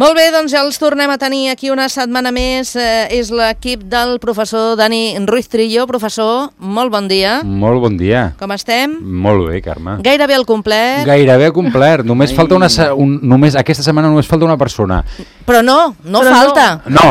Molt bé, doncs ja els tornem a tenir aquí una setmana més. És l'equip del professor Dani Ruiz Trillo. Professor, molt bon dia. Molt bon dia. Com estem? Molt bé, Carme. Gairebé al complet. Gairebé complert. Només falta aquesta setmana només falta una persona. Però no falta. No,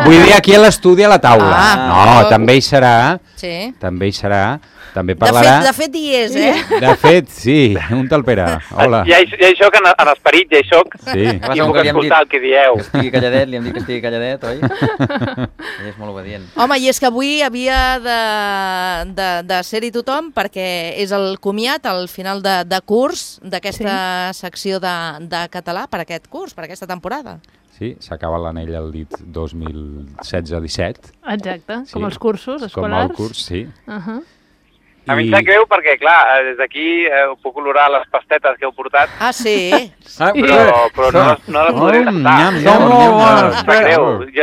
vull dir aquí a l'estudi a la taula. No, també hi serà. Sí. També hi serà. També parlarà... De fet hi és, De fet, sí. Un tal Pere. Hola. Ja hi soc en esperit, ja hi soc. Sí. I puc escoltar el que dieu. Que estigui calladet, li hem dit que estigui calladet, oi? Ell és molt obedient. Home, i és que avui havia de ser-hi tothom perquè és el comiat al final de curs d'aquesta secció de català per aquest curs, per aquesta temporada. Sí, s'acaba l'anell al dit 2016-17. Exacte, com els cursos escolars. Com el curs, sí. A mi em sap greu perquè, clar, des d'aquí puc olorar les pastetes que heu portat. Ah, sí? Però no les podré tastar. Em sap greu.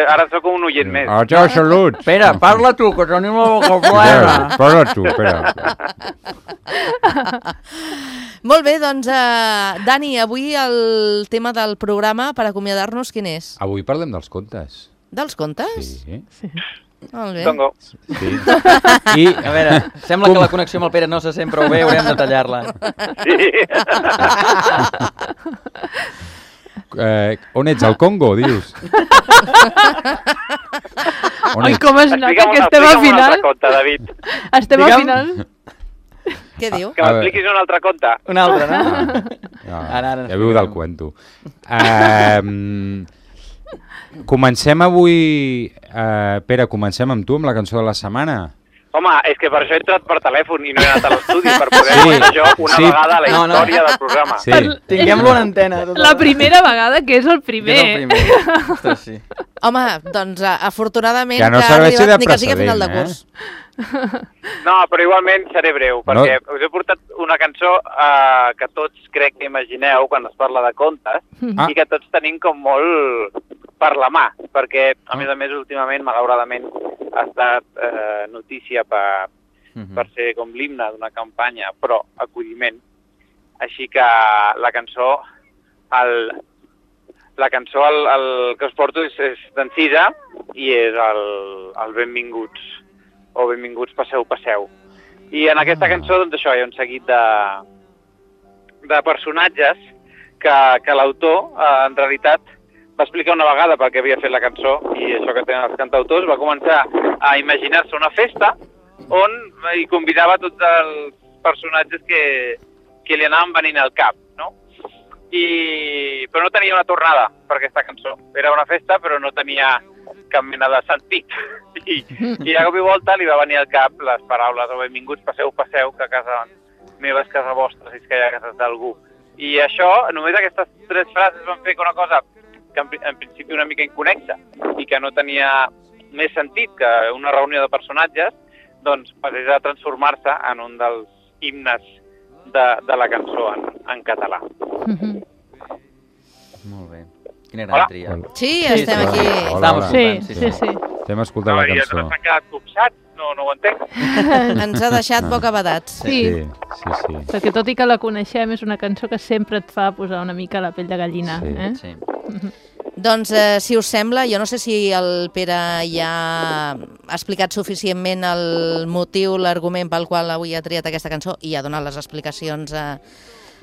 Ara sóc un oient més. Salut. Espera, parla tu, que tenim la boca plena. Parla tu, espera. Molt bé, doncs, Dani, avui el tema del programa per acomiadar-nos quin és? Avui parlem dels contes. Dels contes? Sí. Molt bé. Tongo. Sí. I, a veure, sembla que la connexió amb el Pere no se sent prou bé, haurem de tallar-la. Sí. On ets, al Congo, dius? Oi, com es nota que estem al final? Explica'm un altre conte, David. Estem al final. Què diu? Que m'expliquis un altre conte. Un altre, no? Ja viu del cuento. Comencem avui... Pere, comencem amb tu, amb la cançó de la setmana. Home, és que per això he entrat per telèfon i no he anat a l'estudi, per poder veure jo una vegada la història del programa. Sí. Tinguem-lo en antena. La primera vegada que és el primer. Ostres, sí. Home, doncs, afortunadament que no ha serveixi arribat de ni que sigui a final de curs. No, però igualment seré breu, perquè us he portat una cançó que tots crec que imagineu quan es parla de contes i que tots tenim com molt per la mà, perquè a més últimament, malauradament, ha estat notícia per ser com l'himne d'una campanya, però acolliment. Així que la cançó el que us porto és d'en Cisa i és el Benvinguts, o Benvinguts, passeu. I en aquesta cançó, doncs això, hi ha un seguit de personatges que l'autor, en realitat, va explicar una vegada per què havia fet la cançó, i això que tenen els cantautors, va començar a imaginar-se una festa on hi convidava tots els personatges que li anaven venint al cap, no? Però no tenia una tornada per aquesta cançó. Era una festa, però no tenia cap mena de sentit. I de cop i volta li va venir al cap les paraules o benvinguts, passeu, que a casa meva és casa vostra, si és que hi ha cases d'algú. I això, només aquestes 3 frases van fer una cosa que en principi una mica inconexa i que no tenia més sentit que una reunió de personatges, doncs passés a transformar-se en un dels himnes de la cançó en català. Molt bé. Quina gran tria. Sí, estem aquí. Hola. Sí. Estem escoltant la cançó. No s'han quedat copsats, no ho entenc. Ens ha deixat bocabadats. Sí. Sí. Perquè tot i que la coneixem, és una cançó que sempre et fa posar una mica la pell de gallina. Sí. Doncs, si us sembla, jo no sé si el Pere ja ha explicat suficientment el motiu, l'argument pel qual avui ha triat aquesta cançó i ha donat les explicacions,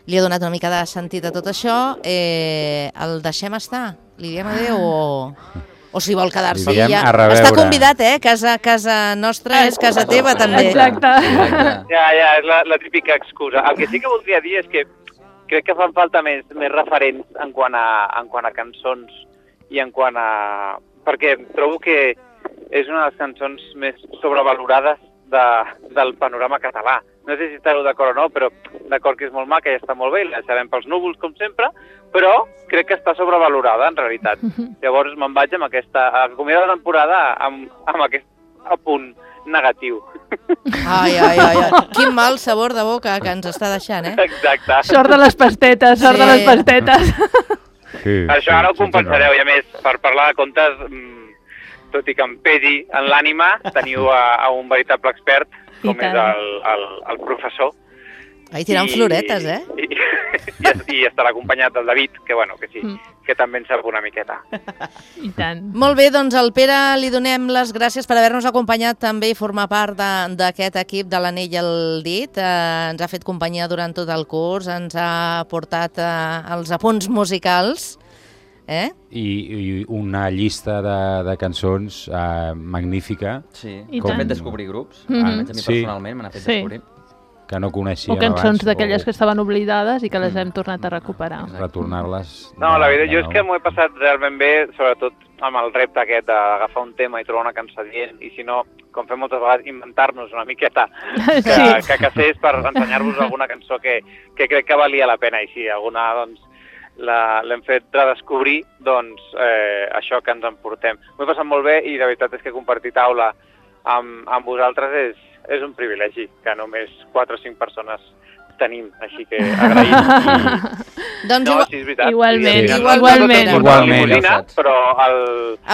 li ha donat una mica de sentit a tot això. El deixem estar? Li diem adéu o si vol quedar-se ja? Està convidat, casa nostra és casa teva també. Exacte. Ja, és la típica excusa. El que sí que voldria dir és que crec que fan falta més referents en quant a cançons i en quant a... Perquè trobo que és una de les cançons més sobrevalorades del panorama català. No sé si esteu d'acord o no, però d'acord que és molt maca i està molt bé, la deixarem pels núvols, com sempre, però crec que està sobrevalorada, en realitat. Llavors me'n vaig amb aquesta... Acomiadar la temporada amb aquest apunt negatiu. Ai. Quin mal sabor de boca que ens està deixant, Exacte. Sort de les pastetes, sort de les pastetes. Sí, això ara ho compensareu, i a més, per parlar de contes, tot i que em pesi en l'ànima, teniu a un veritable expert, com és el professor, Ai, tirant floretes, I estarà acompanyat del David, que bueno, que sí, que també en sap una miqueta. I tant. Molt bé, doncs al Pere li donem les gràcies per haver-nos acompanyat també i formar part d'aquest equip de l'Anell al dit. Ens ha fet companyia durant tot el curs, ens ha portat els apunts musicals. I una llista de cançons magnífica. Sí, I com tant. fet descobrir grups. Almenys a mi personalment me n'ha fet descobrir. Que no coneixíem O cançons abans, d'aquelles que estaven oblidades i que les hem tornat a recuperar. retornar-les. No, la veritat, jo és que m'ho he passat realment bé, sobretot amb el repte aquest d'agafar un tema i trobar una cançó adient, i si no, com fem moltes vegades, inventar-nos una miqueta que cassés per ensenyar-vos alguna cançó que crec que valia la pena, i si alguna, doncs, l'hem fet redescobrir, doncs això que ens emportem. M'ho he passat molt bé i la veritat és que compartir taula amb vosaltres és un privilegi que només 4 o 5 persones tenim, així que agraïm. Doncs No, sí, és veritat. Igualment, Sí, igualment. No la limusina, però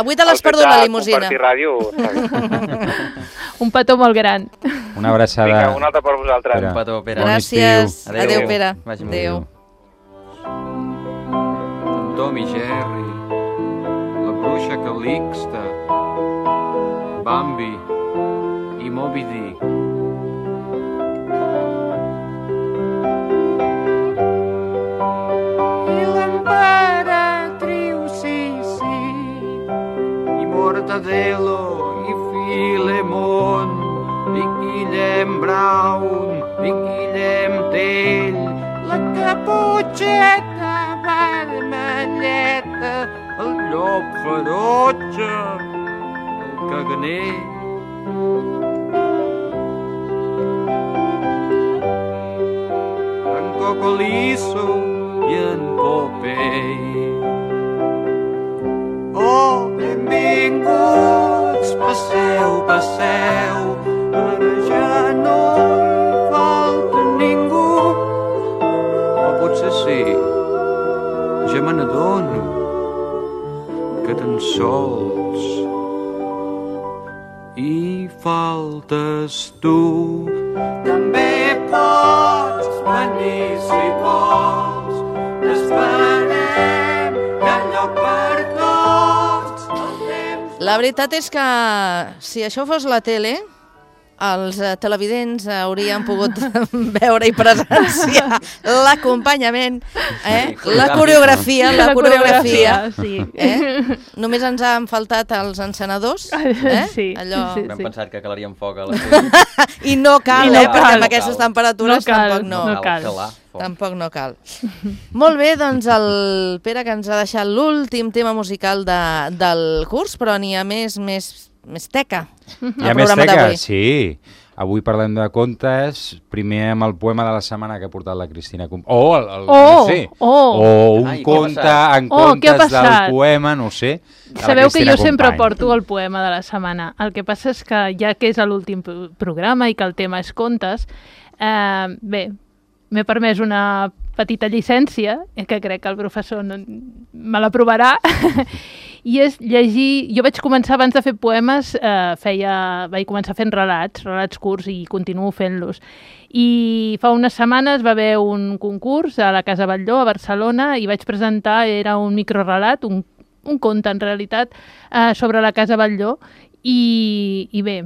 Avui te l'has perdut, la limusina. El fet de compartir ràdio està bé. Un petó molt gran. Una abraçada. Vinga, una altra per vosaltres. Pere. Un petó, Pere. Bon Gràcies. estiu. Adéu, Pere. Vagi molt Adéu. Tom i Jerry, la bruixa Calixta, Bambi i Moby Dick. I l'emperatriu Sissi, i Mortadelo, i Filemon, i Guillem Brown, i Guillem Tell, la Caputxeta vermelleta, el llop ferotge, el caganer. En Cocolizo i en Popeye. Oh, benvinguts, passeu, passeu, ara ja no hi falta ningú. O potser sí, ja me n'adono que tan sols hi faltes tu. També pots venir si vols, esperem que hi ha lloc per tots. La veritat és que si això fos la tele, els televidents haurien pogut veure i presenciar l'acompanyament, la coreografia, sí. Només ens han faltat els encenedors, Sí, allò... sí, Vam pensar que calaríem foc a la I no cal, I no perquè cal. amb aquestes temperatures No cal, tampoc no. no cal. calar foc. Tampoc no cal. Molt bé, doncs el Pere que ens ha deixat l'últim tema musical del curs, però n'hi ha més teca. Hi ha més teca? Sí. Avui parlem de contes, primer amb el poema de la setmana que ha portat la Cristina. No sé. O un Ai, què ha conte passat? en Què ha comptes del passat? poema, no ho sé. de la Sabeu que Cristina jo sempre Company. porto el poema de la setmana. El que passa és que ja que és l'últim programa i que el tema és contes, bé, m'he permès una petita llicència, que crec que el professor me l'aprovarà, i és llegir... Jo vaig començar abans de fer poemes, vaig començar fent relats curts i continuo fent-los. I fa unes setmanes va haver un concurs a la Casa Batlló, a Barcelona, i vaig presentar, era un microrelat, un conte en realitat, sobre la Casa Batlló, i bé,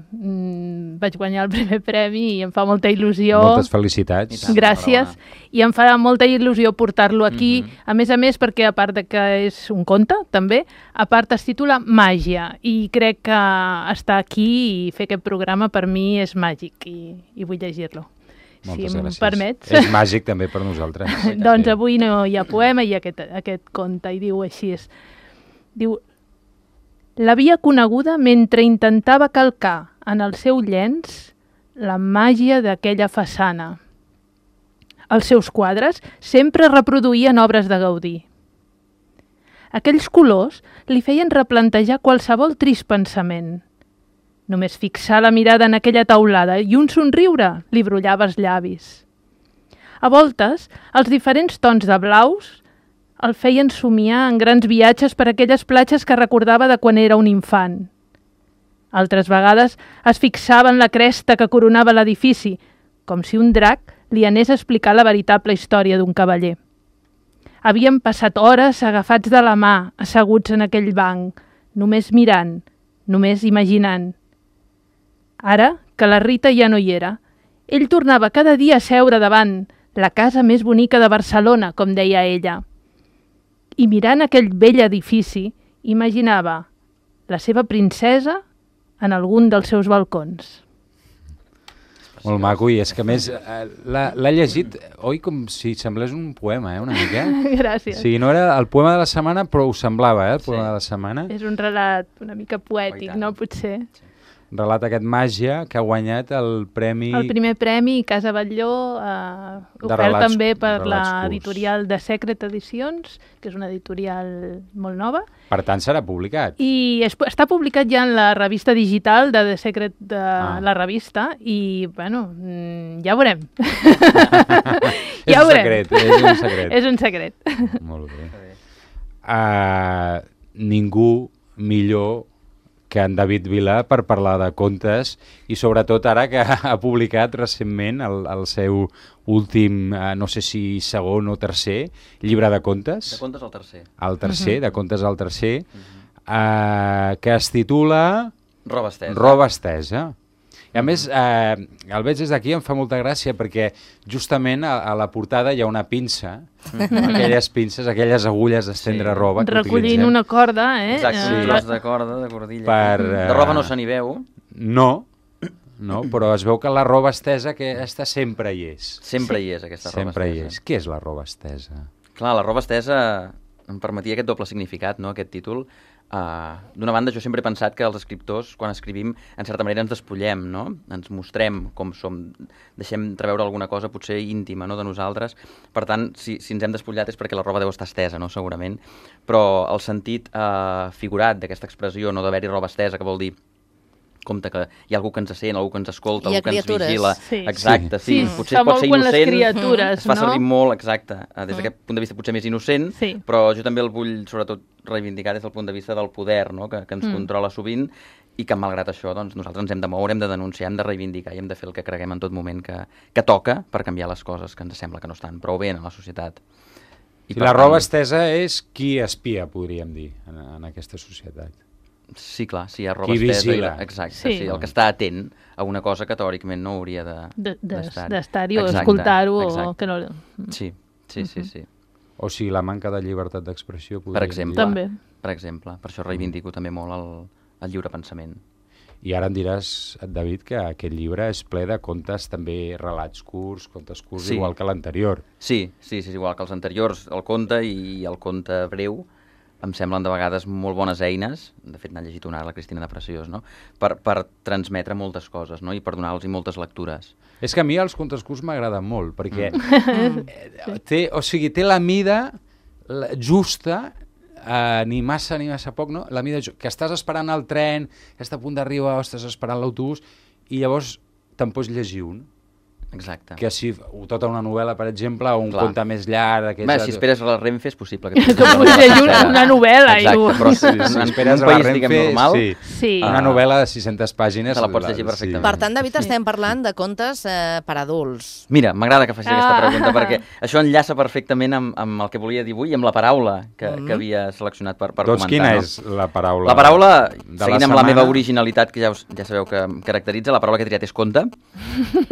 vaig guanyar el primer premi i em fa molta il·lusió. Moltes felicitats. Gràcies. I em fa molta il·lusió portar-lo aquí, a més, perquè a part de que és un conte, també, a part es titula Màgia, i crec que estar aquí i fer aquest programa per mi és màgic, i vull llegir-lo. Moltes si em gràcies. permets. És màgic també per nosaltres. Doncs avui no hi ha poema i aquest conte, i diu així. Diu: l'havia coneguda mentre intentava calcar en el seu llenç la màgia d'aquella façana. Els seus quadres sempre reproduïen obres de Gaudí. Aquells colors li feien replantejar qualsevol trist pensament. Només fixar la mirada en aquella taulada i un somriure li brollava els llavis. A voltes, els diferents tons de blaus el feien somiar en grans viatges per aquelles platges que recordava de quan era un infant. Altres vegades es fixava en la cresta que coronava l'edifici, com si un drac li anés a explicar la veritable història d'un cavaller. Havien passat hores agafats de la mà, asseguts en aquell banc, només mirant, només imaginant. Ara, que la Rita ja no hi era, ell tornava cada dia a seure davant la casa més bonica de Barcelona, com deia ella. I mirant aquell vell edifici, imaginava la seva princesa en algun dels seus balcons. Molt maco, i és que a més l'ha llegit, oi, com si semblés un poema, una mica? Gràcies. Sí, no era el poema de la setmana, però ho semblava, el poema de la setmana. És un relat una mica poètic, no? Potser. Relat aquest Màgia, que ha guanyat el premi... El primer premi Casa Batlló, ofert també per l'editorial de Secret Edicions, que és una editorial molt nova. Per tant, serà publicat. I està publicat ja en la revista digital de The Secret de la revista, i, bueno, ja ho veurem. És un secret, és un secret. És un secret. Molt bé. Ningú millor que en David Vila per parlar de contes, i sobretot ara que ha publicat recentment el seu últim, no sé si segon o tercer, llibre de contes. De contes al tercer. El tercer, de contes al tercer, que es titula... Roba estesa. Roba estesa. I a més, el veig des d'aquí, em fa molta gràcia, perquè justament a la portada hi ha una pinça, aquelles pinces, aquelles agulles d'estendre roba que recollint utilitzem. una corda, Exacte, un tros de corda, de cordilla. De roba no se n'hi veu. No, però es veu que la roba estesa aquesta sempre hi és. Sempre hi és, aquesta roba estesa. Sempre hi és. Què és la roba estesa? Clar, la roba estesa em permetia aquest doble significat, no?, aquest títol. D'una banda, jo sempre he pensat que els escriptors, quan escrivim, en certa manera ens despullem, no? Ens mostrem com som, deixem treure alguna cosa potser íntima, no?, de nosaltres. Per tant, si ens hem despullat és perquè la roba deu estar estesa, no?, segurament. Però el sentit figurat d'aquesta expressió, no d'haver-hi roba estesa, que vol dir compte que hi ha algú que ens sent, algú que ens escolta, algú que ens vigila. Sí. Exacte, sí. Potser fa pot ser molt quan les innocent. criatures, es fa servir no? molt, exacte, des d'aquest punt de vista potser més innocent, Sí. però jo també el vull, sobretot, reivindicar des del punt de vista del poder, no?, que ens controla sovint, i que malgrat això doncs, nosaltres ens hem de moure, hem de denunciar, hem de reivindicar i hem de fer el que creguem en tot moment que toca per canviar les coses que ens sembla que no estan prou bé en la societat. I la roba estesa és qui espia, podríem dir, en aquesta societat. Sí, clar, sí, hi ha roba qui estesa. vigila. Exacte, Sí. sí, el que està atent a una cosa que teòricament no hauria d'estar-hi o Exacte, escoltar-ho. exacte. Que no... Sí. O sigui, la manca de llibertat d'expressió, podríem Per exemple. dir. També. Per exemple, per això reivindico també molt el lliure pensament. I ara em diràs, David, que aquest llibre és ple de contes, també relats curts, contes curts, Sí. igual que l'anterior. Sí, igual que els anteriors, el conte i el conte breu, em semblen de vegades molt bones eines, de fet n'ha llegit una, la Cristina de Preciós, no?, per transmetre moltes coses, no?, i per donar-los moltes lectures. És que a mi els contes curts m'agraden molt, perquè té la mida justa, ni massa poc, no? La mida que estàs esperant el tren, que està a punt d'arribar, o estàs esperant l'autobús, i llavors te'n pots llegir un. Exacte. Que si tota una novel·la, per exemple, o un Clar. conte més llarg... Bé, si esperes a la Renfe és possible que... Que pots llegir una novel·la. Exacte, però si esperes en un a la país, Renfe, diguem, normal... Sí. Una novel·la de 600 pàgines... Te la pots llegir perfectament. Per tant, David, estem parlant de contes per adults. Mira, m'agrada que facis aquesta pregunta, perquè això enllaça perfectament amb el que volia dir avui i amb la paraula que havia seleccionat per comentar. Doncs quina és la paraula? La paraula, de seguint amb la meva originalitat, que ja sabeu que em caracteritza, la paraula que he triat és conte,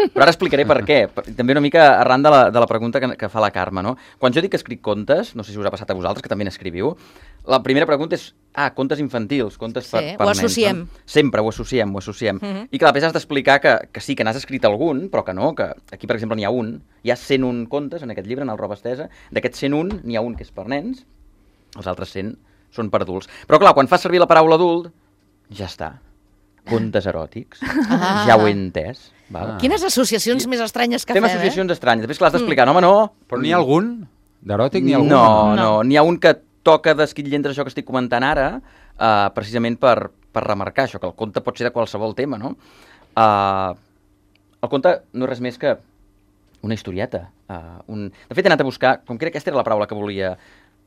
però ara explicaré per què. També una mica arran de la pregunta que fa la Carme, no? Quan jo dic que escric contes, no sé si us ha passat a vosaltres, que també n'escriviu, la primera pregunta és, contes infantils, contes per nens. Ho associem. No? Sempre ho associem. I clar, després has d'explicar que sí, que n'has escrit algun, però que no, que aquí, per exemple, n'hi ha un. Hi ha 101 contes en aquest llibre, en el Roba Estesa. D'aquests 101, n'hi ha un que és per nens, els altres 100 són per adults. Però clar, quan fas servir la paraula adult, ja està. Contes eròtics, ja ho he entès. Val? Quines associacions més estranyes que fem, fem, associacions estranyes. Després, clar, has d'explicar, no, home, no. Però n'hi ha algun? D'eròtic n'hi ha algun? No. N'hi ha un que toca d'esquitlles això que estic comentant ara, precisament per remarcar això, que el conte pot ser de qualsevol tema, no? El conte no és res més que una historieta. De fet, he anat a buscar, com que aquesta era la paraula que volia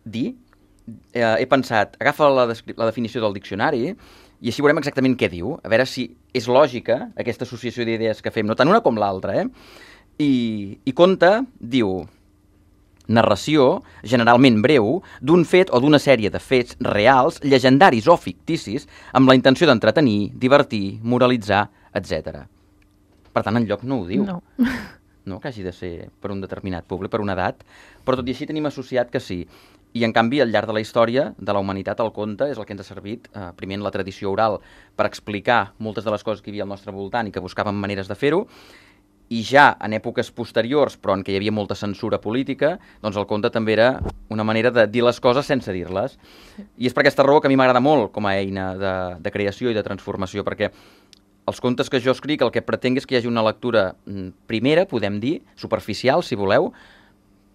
dir, he pensat, agafa la definició del diccionari i així veurem exactament què diu, a veure si és lògica aquesta associació d'idees que fem, no tant una com l'altra, I conta, diu, narració, generalment breu, d'un fet o d'una sèrie de fets reals, llegendaris o ficticis, amb la intenció d'entretenir, divertir, moralitzar, etc. Per tant, enlloc no ho diu. No, que hagi de ser per un determinat públic, per una edat, però tot i així tenim associat que sí. I, en canvi, al llarg de la història de la humanitat, el conte és el que ens ha servit, primer en la tradició oral, per explicar moltes de les coses que hi havia al nostre voltant i que buscàvem maneres de fer-ho, i ja en èpoques posteriors, però en què hi havia molta censura política, doncs el conte també era una manera de dir les coses sense dir-les. I és per aquesta raó que a mi m'agrada molt com a eina de creació i de transformació, perquè els contes que jo escric el que pretenc és que hi hagi una lectura primera, podem dir, superficial, si voleu,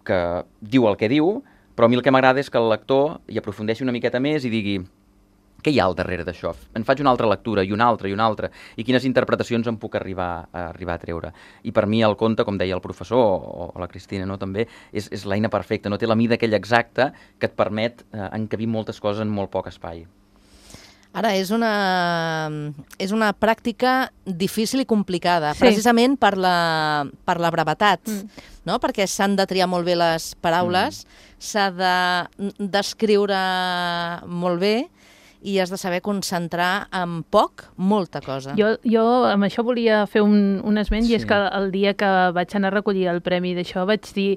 que diu el que diu, però a mi el que m'agrada és que el lector hi aprofundeixi una miqueta més i digui què hi ha al darrere d'això? En faig una altra lectura i una altra, i quines interpretacions em puc arribar a treure. I per mi el conte, com deia el professor, o la Cristina, no, també, és l'eina perfecta, no té la mida aquella exacta que et permet encabir moltes coses en molt poc espai. Ara, és una pràctica difícil i complicada, Sí. precisament per la brevetat, no? Perquè s'han de triar molt bé les paraules, s'ha de descriure molt bé i has de saber concentrar en poc molta cosa. Jo amb això volia fer un esment, i és que el dia que vaig anar a recollir el premi d'això vaig dir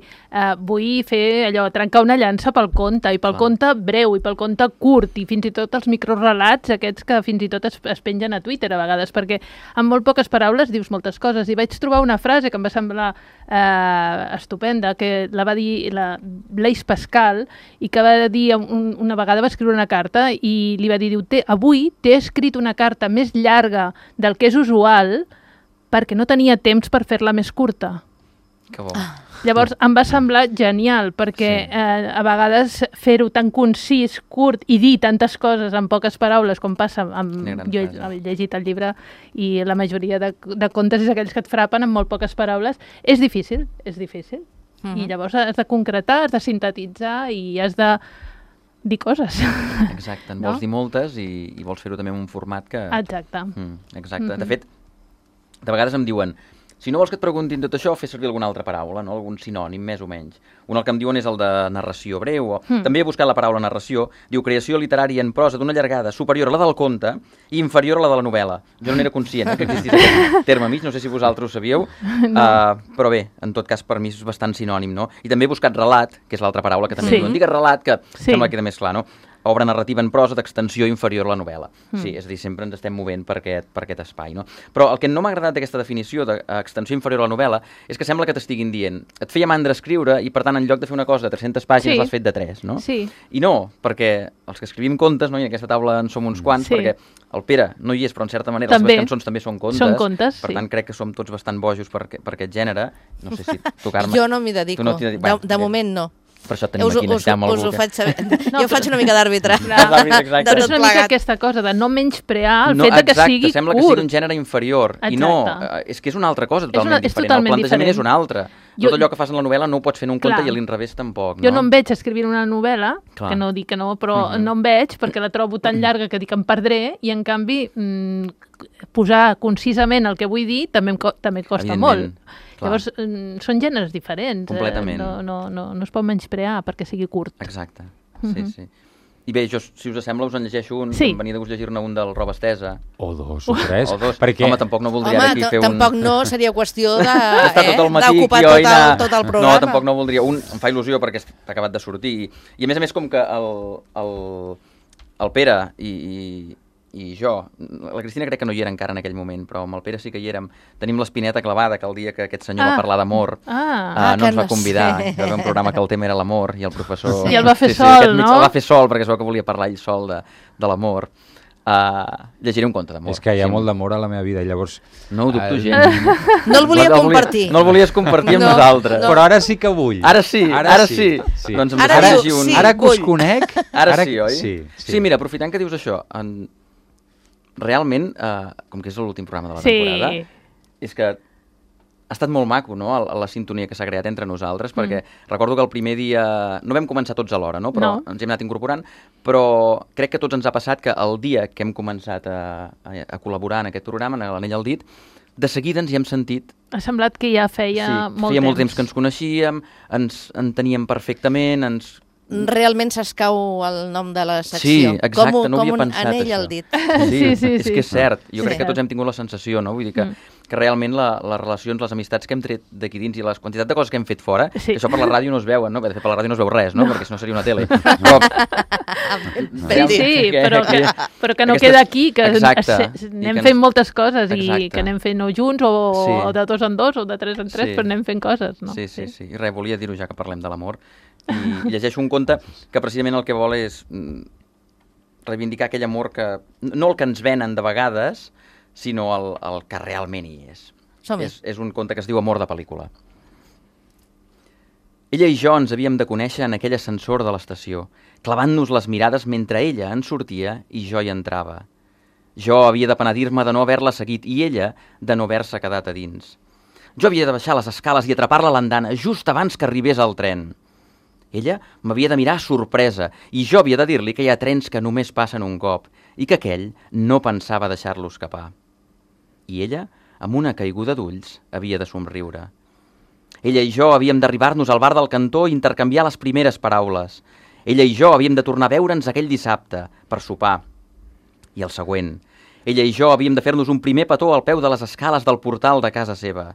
vull fer allò, trencar una llança pel conte, i pel conte breu, i pel conte curt, i fins i tot els microrelats aquests que fins i tot es pengen a Twitter a vegades, perquè amb molt poques paraules dius moltes coses. I vaig trobar una frase que em va semblar estupenda, que la va dir Blaise Pascal, i que va dir una vegada, va escriure una carta i li va dir, avui t'he escrit una carta més llarga del que és usual perquè no tenia temps per fer-la més curta. Que bo. Llavors em va semblar genial, perquè a vegades fer-ho tan concís, curt, i dir tantes coses en poques paraules, com passa jo he llegit el llibre i la majoria de contes és aquells que et frapen amb molt poques paraules, és difícil. I llavors has de concretar, has de sintetitzar i has de dir coses. Exacte, en vols dir moltes i vols fer-ho també en un format que... Exacte. Exacte. De fet, de vegades em diuen, si no vols que et preguntin tot això, fes servir alguna altra paraula, no? Algun sinònim, més o menys. Un el que em diuen és el de narració breu. També he buscat la paraula narració. Diu creació literària en prosa d'una llargada superior a la del conte i inferior a la de la novel·la. Jo no n'era conscient que existís aquest terme mig, no sé si vosaltres ho sabíeu, però bé, en tot cas per mi és bastant sinònim, no? I també he buscat relat, que és l'altra paraula que també diuen. Digues relat, que sembla que queda més clar, no? Obra narrativa en prosa d'extensió inferior a la novel·la. Sí, és a dir, sempre ens estem movent per aquest espai, no? Però el que no m'ha agradat d'aquesta definició d'extensió inferior a la novel·la és que sembla que t'estiguin dient et feia mandra escriure i, per tant, en lloc de fer una cosa de 300 pàgines l'has fet de 3, no? Sí. I no, perquè els que escrivim contes, no? I en aquesta taula en som uns quants, perquè el Pere no hi és, però en certa manera les seves cançons també són contes. Són contes, per tant, crec que som tots bastant bojos per aquest gènere. No sé si tu, Carme... Jo no m'hi dedico. De moment no. Per això tenim aquí, necessitem algú. Us ho faig saber. Jo faig una mica d'àrbitre. Però és una mica aquesta cosa de no menysprear el fet que sigui curt. Sembla que sigui un gènere inferior. I no, és que és una altra cosa totalment diferent. El plantejament és un altre. Tot allò que fas en la novel·la no ho pots fer en un conte i a l'inrevés tampoc. Jo no em veig escrivint una novel·la, que no dic que no, però no em veig perquè la trobo tan llarga que dic em perdré, i en canvi posar concisament el que vull dir també costa molt. Llavors, són gèneres diferents. Completament. No es pot menysprear perquè sigui curt. Exacte, sí. I bé, jo, si us sembla, us en llegeixo un. Em venia de gust llegir-ne un del Roba Estesa. O dos, o tres. Perquè... Home, tampoc no voldria aquí fer un... Tampoc no seria qüestió d'ocupar tot el programa. No, tampoc no voldria. Un em fa il·lusió perquè està acabat de sortir. I a més, com que el Pere i jo, la Cristina crec que no hi era encara en aquell moment, però amb el Pere sí que hi érem, tenim l'espineta clavada que el dia que aquest senyor va parlar d'amor no ens va convidar. Hi va haver un programa que el tema era l'amor i el professor... I el va fer sol, no? El va fer sol perquè es veu que volia parlar ell sol de l'amor. Llegiré un conte d'amor. És que hi ha molt d'amor a la meva vida, llavors... No ho dubto gens. No el volia compartir. No el volies compartir amb nosaltres. Però ara sí que vull. Ara sí. Doncs ara que us conec... Ara sí, oi? Sí, mira, aprofitant que dius això, realment, com que és l'últim programa de la temporada, és que ha estat molt maco, no?, la sintonia que s'ha creat entre nosaltres, perquè recordo que el primer dia... No vam començar tots alhora, no?, però ens hem anat incorporant, però crec que tots ens ha passat que el dia que hem començat a col·laborar en aquest programa, en l'Anell al dit, de seguida ens hi hem sentit Ha semblat que ja feia molt feia molt temps que ens coneixíem, ens enteníem perfectament, Realment s'escau el nom de la secció. Sí, exacte, no havia com pensat anell això. al dit. Sí. És que és cert. Jo Sí. crec que tots hem tingut la sensació, no? Vull dir que realment les relacions, les amistats que hem tret d'aquí dins i la quantitat de coses que hem fet fora, que això per la ràdio no es veuen, no? De fet, per la ràdio no es veu res, no? Perquè si no seria una tele. Però, Sí, però que no Aquestes- queda aquí, que Exacte. anem I que fent moltes coses i Exacte. que anem fent o junts o de 2 en 2 o de 3 en 3, Sí. però anem fent coses, no? Sí. I res, volia dir-ho ja que parlem de l'amor. I llegeixo un conte que precisament el que vol és reivindicar aquell amor que... No el que ens venen de vegades, sinó el que realment hi és. Som-hi. És un conte que es diu Amor de pel·lícula. Ella i jo ens havíem de conèixer en aquell ascensor de l'estació, clavant-nos les mirades mentre ella en sortia i jo hi entrava. Jo havia de penedir-me de no haver-la seguit i ella de no haver-se quedat a dins. Jo havia de baixar les escales i atrapar-la a l'andana just abans que arribés el tren. Ella m'havia de mirar sorpresa i jo havia de dir-li que hi ha trens que només passen un cop i que aquell no pensava deixar-lo escapar. I ella, amb una caiguda d'ulls, havia de somriure. Ella i jo havíem d'arribar-nos al bar del cantó i intercanviar les primeres paraules. Ella i jo havíem de tornar a veure'ns aquell dissabte, per sopar. I el següent. Ella i jo havíem de fer-nos un primer petó al peu de les escales del portal de casa seva.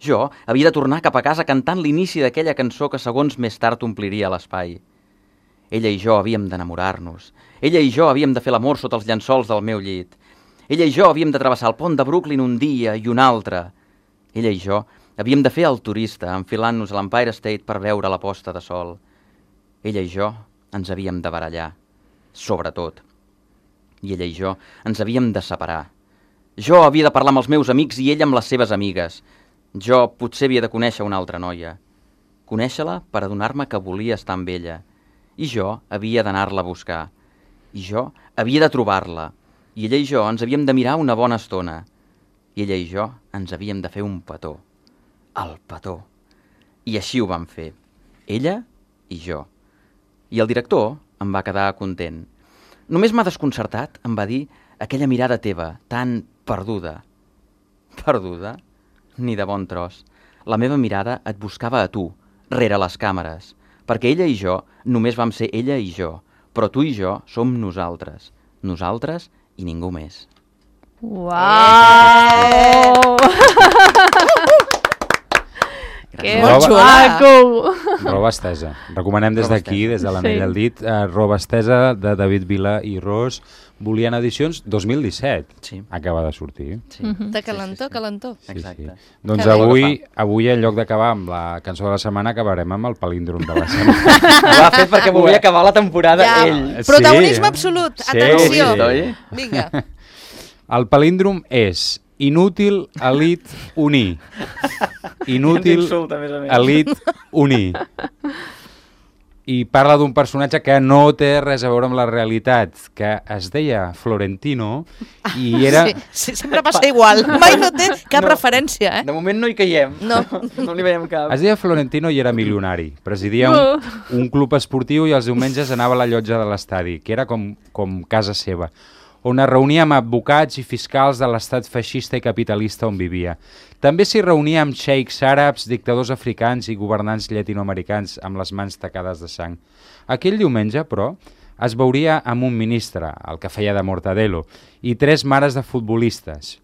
Jo havia de tornar cap a casa cantant l'inici d'aquella cançó que segons més tard ompliria l'espai. Ella i jo havíem d'enamorar-nos. Ella i jo havíem de fer l'amor sota els llençols del meu llit. Ella i jo havíem de travessar el pont de Brooklyn un dia i un altre. Ella i jo havíem de fer el turista, enfilant-nos a l'Empire State per veure la posta de sol. Ella i jo ens havíem de barallar, sobretot. I ella i jo ens havíem de separar. Jo havia de parlar amb els meus amics i ella amb les seves amigues. Jo potser havia de conèixer una altra noia. Conèixer-la per adonar-me que volia estar amb ella. I jo havia d'anar-la a buscar. I jo havia de trobar-la. I ella i jo ens havíem de mirar una bona estona. I ella i jo ens havíem de fer un petó. El petó. I així ho vam fer. Ella i jo. I el director em va quedar content. Només m'ha desconcertat, em va dir, aquella mirada teva, tan perduda. Perduda? Ni de bon tros. La meva mirada et buscava a tu, rere les càmeres, perquè ella i jo només vam ser ella i jo, però tu i jo som nosaltres. Nosaltres i ningú més. Uau! Que Molt maco! Roba estesa. Recomanem des Roba d'aquí, estesa. des de l'anell Sí. al dit, Roba estesa de David Vila i Ros, Volien Edicions 2017. Sí. Acaba de sortir. Sí. De calentó, calentó. Exacte. Doncs Que bé. avui, en lloc d'acabar amb la cançó de la setmana, acabarem amb el palíndrom de la setmana. Ho ha fet perquè volia acabar la temporada Ja. ell. Protagonisme absolut, atenció. Sí. Oi? Vinga. El palíndrom és inútil, elit, unir. Inútil, D'insult, a més a més. elit, unir. I parla d'un personatge que no té res a veure amb la realitat, que es deia Florentino i era... Sí, sempre passa igual. Mai no té cap referència, eh? De moment no hi caiem. No. No li veiem cap. Es deia Florentino i era milionari. Presidia un club esportiu i els diumenges anava a la llotja de l'estadi, que era com casa seva, on es reunia amb advocats i fiscals de l'estat feixista i capitalista on vivia. També s'hi reunia amb xeics àrabs, dictadors africans i governants llatinoamericans amb les mans tacades de sang. Aquell diumenge, però, es veuria amb un ministre, el que feia de Mortadelo, i 3 mares de futbolistes.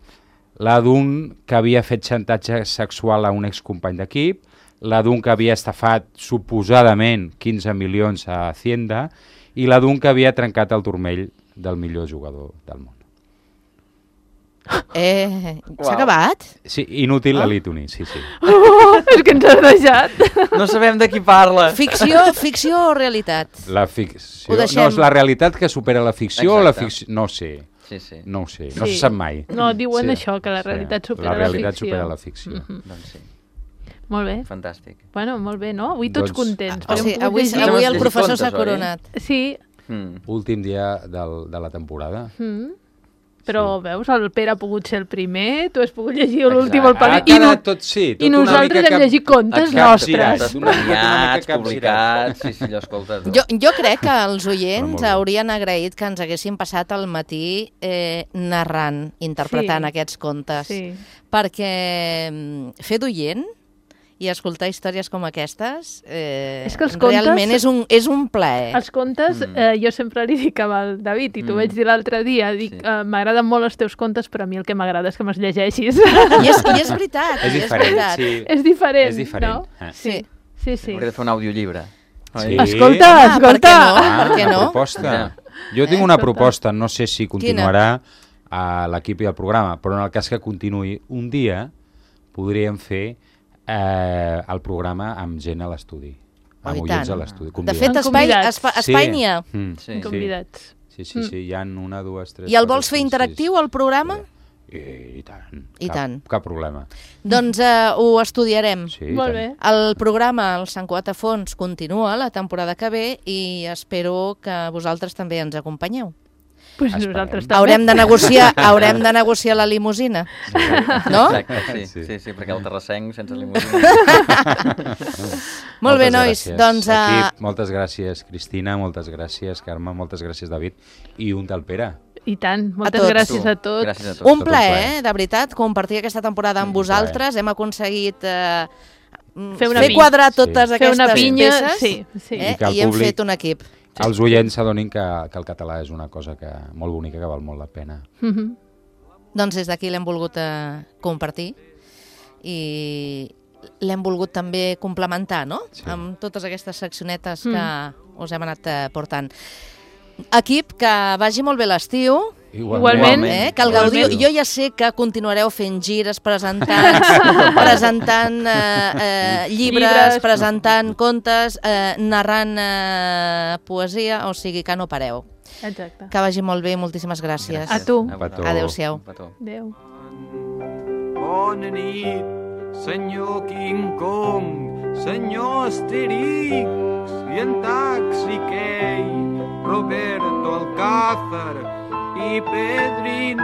La d'un que havia fet xantatge sexual a un excompany d'equip, la d'un que havia estafat suposadament 15 milions a Hacienda i la d'un que havia trencat el turmell del millor jugador del món. S'ha acabat? Sí, inútil elit unir, sí. És que ens has deixat. No sabem de qui parla. Ficció o realitat? La ficció... Ho deixem. No, és la realitat que supera la ficció o la Exacte. ficció... No ho sé, Sí, sí. no ho sé, no Sí. se sap mai. No, diuen Sí. això, que la realitat supera la realitat ficció. supera la ficció. Doncs sí, Molt bé. fantàstic. Bueno, molt bé, no? Avui tots Doncs- contents. O sigui, Hem pogut avui llegir. Hem el llegit professor contes, s'ha oi? coronat. Sí. Mm. Últim dia de la temporada. Però, veus, el Pere ha pogut ser el primer, tu has pogut llegir l'últim Exacte. al Ha Pali, quedat tot, sí, tot i nosaltres hem llegit contes nostres. Premiats, publicats, sí, allò, escolta. Tu. Jo crec que els Però oients molt bé. haurien agraït que ens haguessin passat el matí narrant, interpretant Sí. aquests contes. Sí. Perquè fer d'oient i escoltar històries com aquestes És que els contes- realment és un plaer. Els contes, jo sempre li dic al David, i t'ho vaig dir l'altre dia, dic, Sí. m'agraden molt els teus contes, però a mi el que m'agrada és que me'ls llegeixis. I és veritat. És diferent, sí. És diferent, És diferent, no? Sí. Sí. Hauria de fer un audiollibre. Sí. Escolta, Ah, per què no? Per què Una no? proposta. Jo tinc una proposta, no sé si continuarà a l'equip i al programa, però en el cas que continuï un dia, podríem fer el programa amb gent a l'estudi, Oh, amb i oients tant. a l'estudi. De convidats. fet, Convidats. espai n'hi ha. Sí. Convidats. Sí, hi ha una, dues, tres... I el quatre, vols fer cinc, interactiu, sis. el programa? I tant. I tant. Cap problema. Doncs ho estudiarem. Sí, Molt i bé. tant. El programa El Sant Cuat a Fons continua la temporada que ve i espero que vosaltres també ens acompanyeu. Pues Esperem. nosaltres també. Haurem de negociar la limusina, no? Exacte, Sí. sí, perquè el terrassenc sense limusina... Molt bé, Moltes nois. gràcies, Doncs equip, moltes gràcies, Cristina, moltes gràcies, Carme, moltes gràcies, David, i un tal Pere. I tant, moltes tots. gràcies a tots. Gràcies a tots. un tot un plaer, plaer. de veritat, compartir aquesta temporada amb vosaltres. Hem aconseguit Fer una fer pinya. quadrar totes Sí. Fer una aquestes pinya, peces sí. I que el i hem públic- fet un equip. Els oients s'adonin que el català és una cosa molt bonica, que val molt la pena. Mhm. Doncs des d'aquí l'hem volgut compartir i l'hem volgut també complementar, no? Sí. Amb totes aquestes seccionetes que us hem anat portant. Equip, que vagi molt bé l'estiu, Igualment. que el gaudiu. Igualment. Jo ja sé que continuareu fent gires, presentant llibres, presentant contes, narrant poesia, o sigui que no pareu. Exacte. Que vagi molt bé, moltíssimes gràcies. A tu. Petó. Adéu-siau. Un petó. Adéu. Bona nit, senyor King Kong, senyor Asterix i en Taxi Key, Roberto Alcázar i Pedrin